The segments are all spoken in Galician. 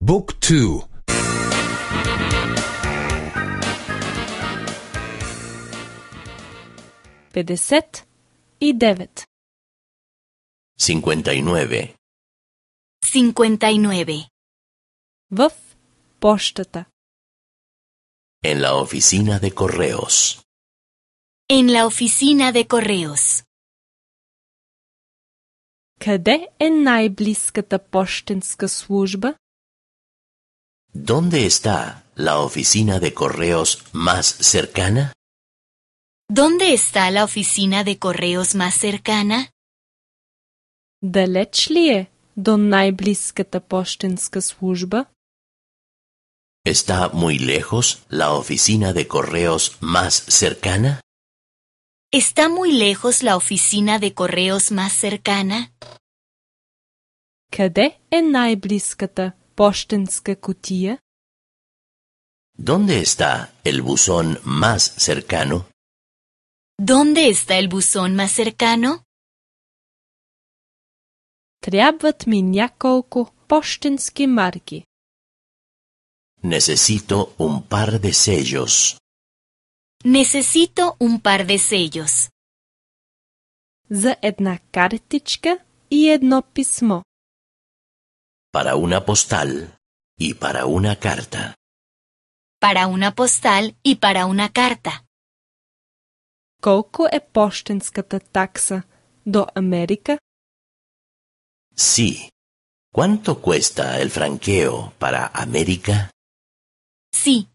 Book 2. 59. 59. 59. В пощата. En la oficina de correos. En la oficina de correos. Къде е най-близката пощенска служба? ¿Dónde está la oficina de correos más cercana? ¿Dónde está la oficina de correos más cercana? Далеч ли е до най-близката пощенска служба? ¿Está muy lejos la oficina de correos más cercana? ¿Está muy lejos la oficina de correos más cercana? Къде е най-близката пощенска кутия? ¿Dónde está el buzón más cercano? ¿Dónde está el buzón más cercano? Трябват ми няколко пощенски марки. Necesito un par de sellos. Necesito un par de sellos. За една картичка и едно писмо. Para una postal y para una carta. Para una postal y para una carta. Колко е пощенската такса до Америка? Sí. ¿Cuánto cuesta el franqueo para América? Sí.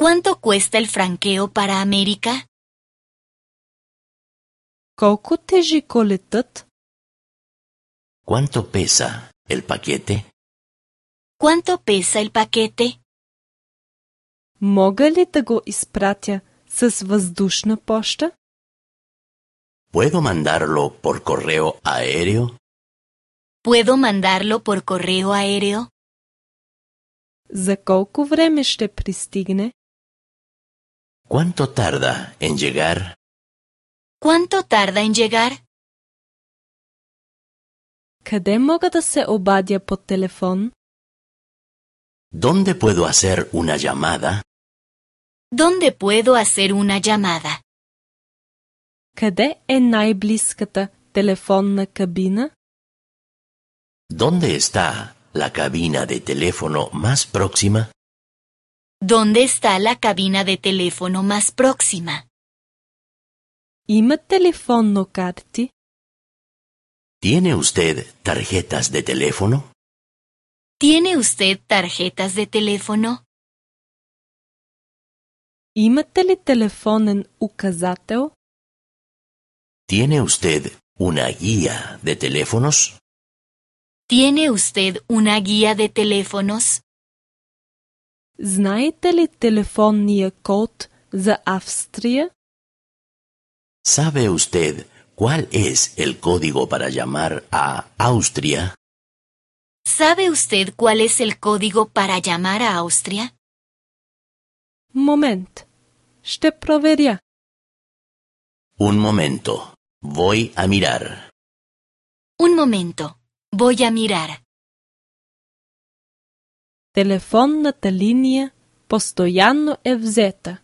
¿Cuánto cuesta el franqueo para América? Колко тежи колетът? ¿Cuánto pesa el paquete? ¿Cuánto pesa el paquete? Мога ли да го изпратя с въздушна поща? ¿Puedo mandarlo por correo aéreo? ¿Puedo mandarlo por correo aéreo? За колко време ще пристигне? ¿Cuánto tarda en llegar? ¿Cuánto tarda en llegar? Къде мога да се обадя по телефон? ¿Dónde puedo hacer una llamada? ¿Dónde puedo hacer una llamada? Къде е най-близката телефонна кабина? ¿Dónde está la cabina de teléfono más próxima? ¿Dónde está la cabina de teléfono más próxima? Има телефонно карти? ¿Tiene usted tarjetas de teléfono? ¿Tiene usted tarjetas de teléfono? Имате ли телефонен указател? ¿Tiene usted una guía de teléfonos? ¿Tiene usted una guía de teléfonos? Знаете ли телефонния код за Австрия? ¿Sabe usted cuál es el código para llamar a Austria? ¿Sabe usted cuál es el código para llamar a Austria? Момент. Ще проверя. Un momento. Voy a mirar. Un momento. Voy a mirar. Телефонната линия постоянно е взета.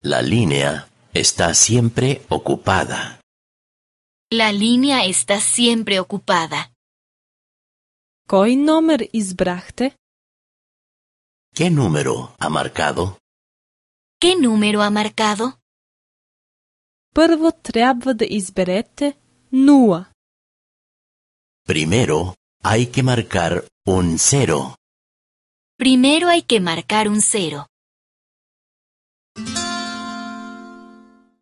La línea está siempre ocupada. La línea está siempre ocupada. Кой номер избрахте? ¿Qué número ha marcado? ¿Qué número ha marcado? Първо трябва да изберете 0. Primero hay que marcar un 0. Primero hay que marcar un 0.